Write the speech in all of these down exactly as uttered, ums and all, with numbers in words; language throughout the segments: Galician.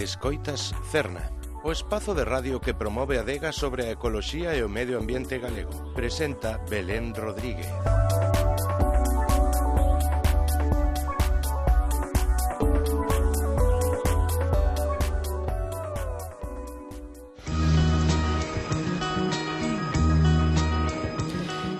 Escoitas Cerna, o espazo de radio que promove a adega sobre a ecoloxía e o medio ambiente galego. Presenta Belén Rodríguez.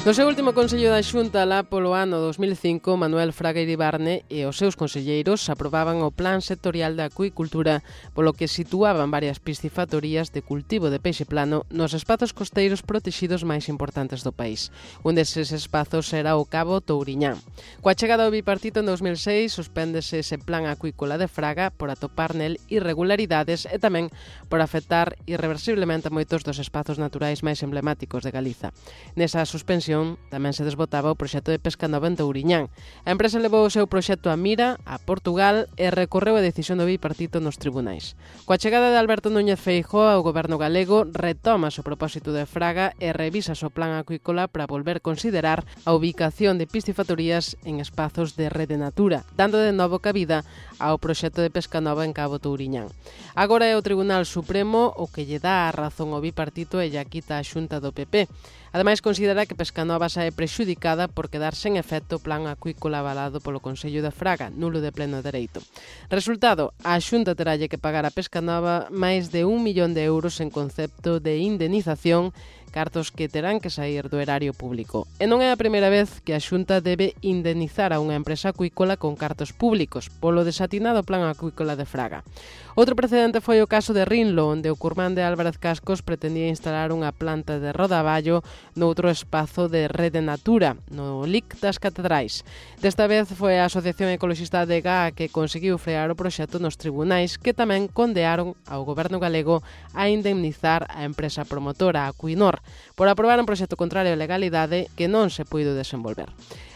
No seu último Consello da Xunta lá polo ano dos mil cinco, Manuel Fraga Iribarne e os seus conselleiros aprobaban o Plan Sectorial de Acuicultura, polo que situaban varias piscifactorías de cultivo de peixe plano nos espazos costeiros protexidos máis importantes do país. Un deses espazos era o Cabo Touriñán. Coa chegada do bipartito en dos mil seis, suspéndese ese plan acuícola de Fraga por atopar nel irregularidades e tamén por afectar irreversiblemente a moitos dos espazos naturais máis emblemáticos de Galiza. Nesa suspensión tamén se desbotaba o proxecto de pesca nova en Touriñán. A empresa levou o seu proxecto a Mira, a Portugal, e recorreu a decisión do bipartito nos tribunais. Coa chegada de Alberto Núñez Feijóo ao goberno galego, retoma o propósito de Fraga e revisa o plan acuícola para volver considerar a ubicación de piscifactorías en espazos de rede natura, dando de novo cabida ao proxecto de pesca nova en Cabo Touriñán. Agora é o Tribunal Supremo o que lle dá a razón ao bipartito e lle quita a Xunta do P P. Ademais, considera que Pescanova sae prexudicada por quedar sen efecto o plan acuícola avalado polo Consello de Fraga, nulo de pleno dereito. Resultado, a Xunta teralle que pagar a Pescanova máis de un millón de euros en concepto de indemnización, cartos que terán que sair do erario público. E non é a primeira vez que a Xunta debe indemnizar a unha empresa acuícola con cartos públicos polo desatinado plan acuícola de Fraga. Outro precedente foi o caso de Rinlo, onde o Curmán de Álvarez Cascos pretendía instalar unha planta de rodaballo noutro espazo de rede natura, no L I C das Catedrais. Desta vez foi a Asociación Ecologista de Gá que conseguiu frear o proxecto nos tribunais, que tamén condearon ao goberno galego a indemnizar a empresa promotora Acuinor por aprobar un proxecto contrario á legalidade que non se puido desenvolver.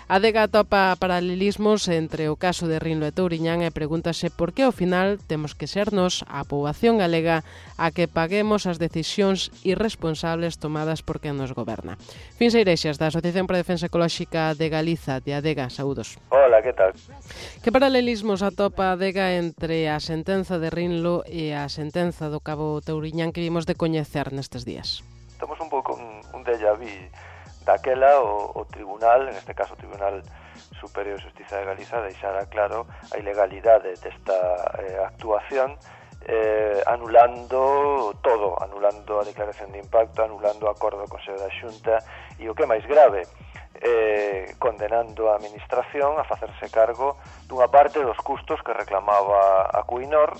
A adega atopa paralelismos entre o caso de Rinlo e Touriñán e pregúntase por que ao final temos que ser nós, a poboación galega, a que paguemos as decisións irresponsables tomadas por quen nos goberna. Fins Eirexas, da Asociación para a Defensa Ecolóxica de Galiza, de Adega, saúdos. Hola, que tal? Que paralelismos atopa a Adega entre a sentenza de Rinlo e a sentenza do Cabo Touriñán que vimos de coñecer nestes días? Estamos un pouco un, un déjà vu. Daquela o, o tribunal, en este caso o Tribunal Superior de Xustiza de Galiza, deixara claro a ilegalidade desta eh, actuación, eh, anulando todo, anulando a declaración de impacto, anulando o acordo do Consello da Xunta e o que é máis grave, eh, condenando a administración a facerse cargo dunha parte dos custos que reclamaba a Acuinor,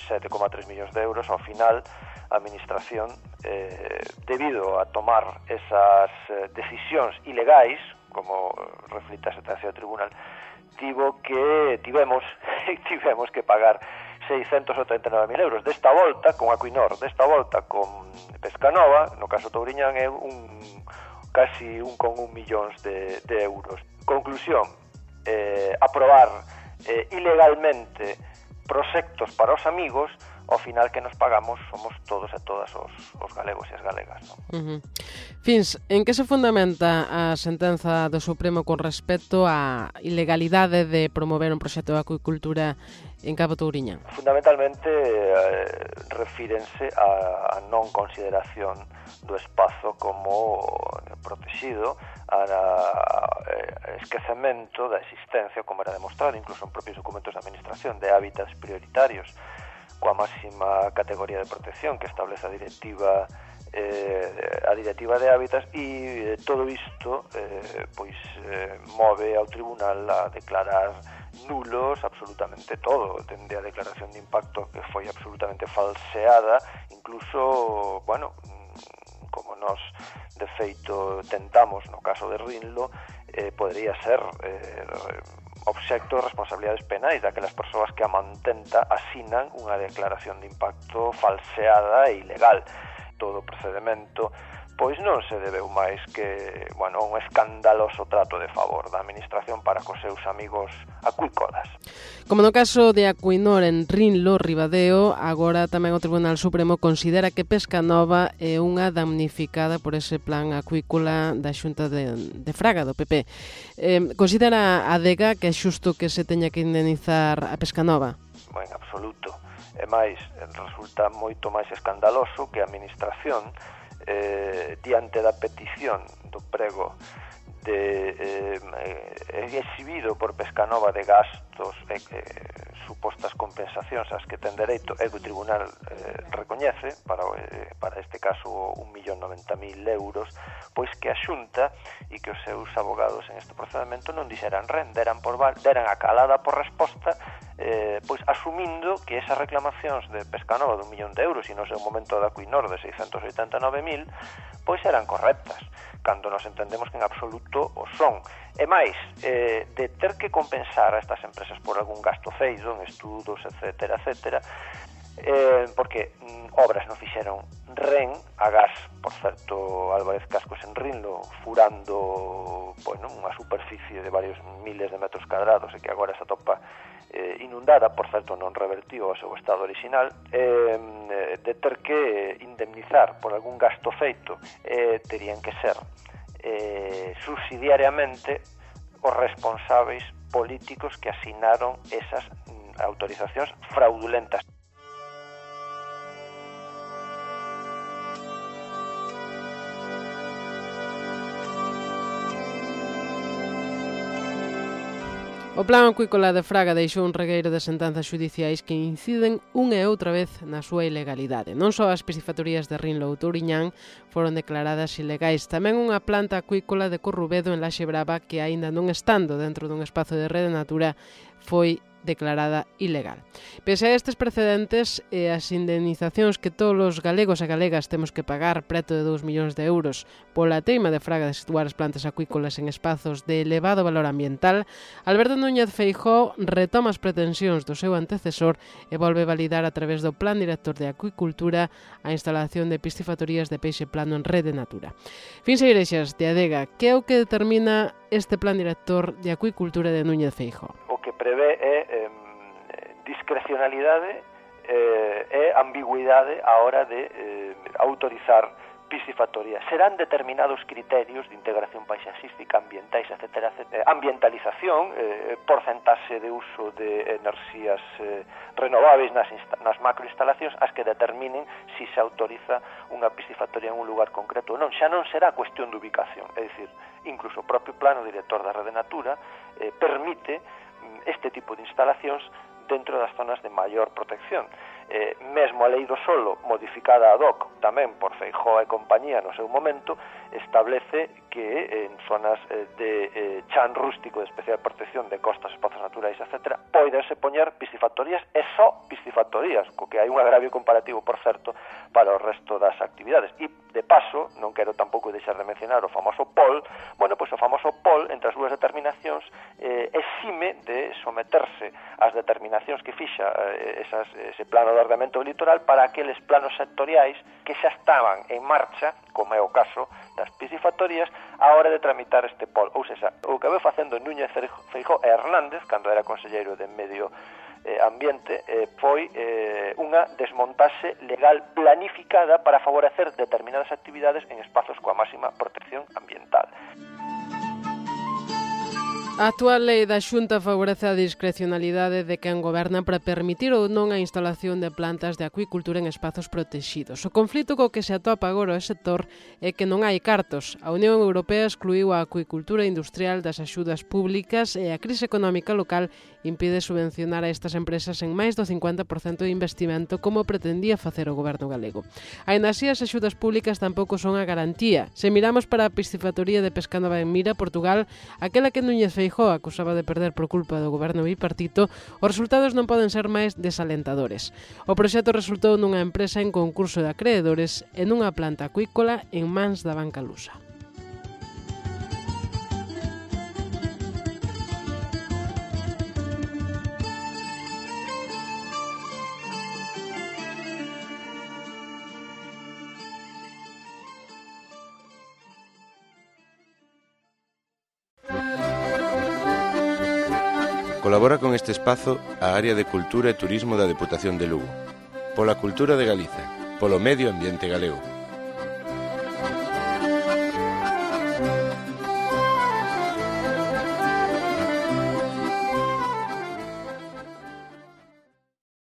sete coma tres millóns de euros. Ao final a administración, eh, debido a tomar esas eh, decisións ilegais, como reflita a sentencia do tribunal, tivo que tivemos tivemos que pagar seiscentos setenta e nove mil euros. Desta volta con Acuinor, desta volta con Pescanova, no caso Touriñán é un casi un con un millóns de, de euros. Conclusión, eh, aprobar eh, ilegalmente proxectos para os amigos, ao final que nos pagamos somos todos e todas os, os galegos e as galegas, non? Uh-huh. Fins, en que se fundamenta a sentenza do Supremo con respecto á ilegalidade de promover un proxecto de acuicultura en Cabo Touriñán? Fundamentalmente eh, refírense a, a non consideración do espazo como protegido, a, a esquecemento da existencia, como era demostrado incluso en propios documentos de administración, de hábitats prioritarios coa máxima categoría de protección que establece a directiva eh, a directiva de hábitats, e eh, todo isto eh, pois eh, move ao tribunal a declarar nulos absolutamente todo, dende a declaración de impacto que foi absolutamente falseada, incluso, bueno, como nos de feito tentamos no caso de Rinlo, eh, podría ser eh, obxecto de responsabilidades penais daquelas persoas que a mantenta asinan unha declaración de impacto falseada e ilegal. Todo o procedimento pois non se debeu máis que, bueno, un escandaloso trato de favor da administración para cos seus amigos acuícolas. Como no caso de Acuinor en Rinlo, Ribadeo, agora tamén o Tribunal Supremo considera que Pescanova é unha damnificada por ese plan acuícola da Xunta de, de Fraga, do P P. Eh, considera a Adega que é xusto que se teña que indemnizar a Pescanova? en absoluto. E máis, resulta moito máis escandaloso que a administración, eh, diante da petición do prego de eh, exhibido por Pescanova de gastos e eh, supostas compensacións ás que ten dereito e que o tribunal eh, recoñece para, eh, para este caso un millón noventa mil euros, pois que a Xunta e que os seus abogados en este procedimento non dixeran ren, deran, por, deran a calada por resposta, eh, pois asumindo que esas reclamacións de Pescanova dun millón de euros e no seu momento da Acuinor de seiscentos oitenta e nove mil pois eran correctas, cando nos entendemos que en absoluto o son. E máis, eh, de ter que compensar a estas empresas por algún gasto feito en estudos, etcétera, etcétera, eh, porque mm, obras non fixeron ren, a gas, por certo, Álvarez Cascos en Rinlo, furando, bueno, unha superficie de varios miles de metros cadrados e que agora se atopa eh, inundada, por certo non revertiu ao seu estado original, eh, de ter que indemnizar por algún gasto feito, eh, terían que ser eh, subsidiariamente os responsáveis políticos que asinaron esas mm, autorizacións fraudulentas. O plan acuícola de Fraga deixou un regueiro de sentenzas xudiciais que inciden unha e outra vez na súa ilegalidade. Non só as piscifactorías de Rinlo ou Touriñán foron declaradas ilegais, tamén unha planta acuícola de Corrubedo en Laxe Brava que, aínda non estando dentro dun espazo de Rede Natura, foi declarada ilegal. Pese a estes precedentes e as indemnizacións que todos os galegos e galegas temos que pagar preto de dous millóns de euros pola teima de Fraga de situar as plantas acuícolas en espazos de elevado valor ambiental, Alberto Núñez Feijóo retoma as pretensións do seu antecesor e volve validar a través do Plan Director de Acuicultura a instalación de piscifactorías de peixe plano en Rede Natura. Fins Seireixas, de Adega, que é o que determina este Plan Director de Acuicultura de Núñez Feijóo? Que prevé é eh, discrecionalidade eh, e ambigüidade á hora de eh, autorizar piscifactorías. Serán determinados criterios de integración paisaxística, ambientais, etcétera, etcétera. Ambientalización, eh, porcentaxe de uso de enerxías eh, renováveis nas, nas macroinstalacións as que determinen se si se autoriza unha piscifactoría en un lugar concreto ou non. Xa non será cuestión de ubicación, é dicir, incluso o propio plano director da Rede Natura eh, permite este tipo de instalacións dentro das zonas de maior protección. Eh, mesmo a lei do solo, modificada ad hoc tamén por Feijóo e compañía no seu momento, establece que en zonas eh, de eh, chan rústico de especial protección de costas, espazos naturais, etcétera, poidense poñer piscifactorías e só piscifactorías, co que hai un agravio comparativo, por certo, para o resto das actividades. E, de paso, non quero tampouco deixar de mencionar o famoso P O L, bueno, pois o famoso P O L, entre as súas determinacións, eh, exime de someterse ás determinacións que fixa eh, esas, ese plano de ordenamento do litoral para aqueles planos sectoriais que xa estaban en marcha, como é o caso das piscifactorías, a hora de tramitar este P O L. Ou seja, o que veu facendo Núñez Feijóo e Hernández, cando era conselleiro de Medio eh, Ambiente, eh, foi eh, unha desmontaxe legal planificada para favorecer determinadas actividades en espazos coa máxima protección ambiental. A actual lei da Xunta favorece a discrecionalidade de quen goberna para permitir ou non a instalación de plantas de acuicultura en espazos protegidos. O conflito co que se atopa agora o sector é que non hai cartos. A Unión Europea excluiu a acuicultura industrial das axudas públicas e a crise económica local impide subvencionar a estas empresas en máis do cincuenta por cento de investimento como pretendía facer o goberno galego. Aínda así, as axudas públicas tampouco son a garantía. Se miramos para a piscifactoría de Pescanova en Mira, Portugal, aquela que Núñez Feijóo acusaba de perder por culpa do goberno bipartito, os resultados non poden ser máis desalentadores. O proxecto resultou nunha empresa en concurso de acreedores e nunha planta acuícola en mans da banca lusa. Colabora con este espazo a Área de Cultura e Turismo da Deputación de Lugo. Pola cultura de Galiza, polo medio ambiente galego.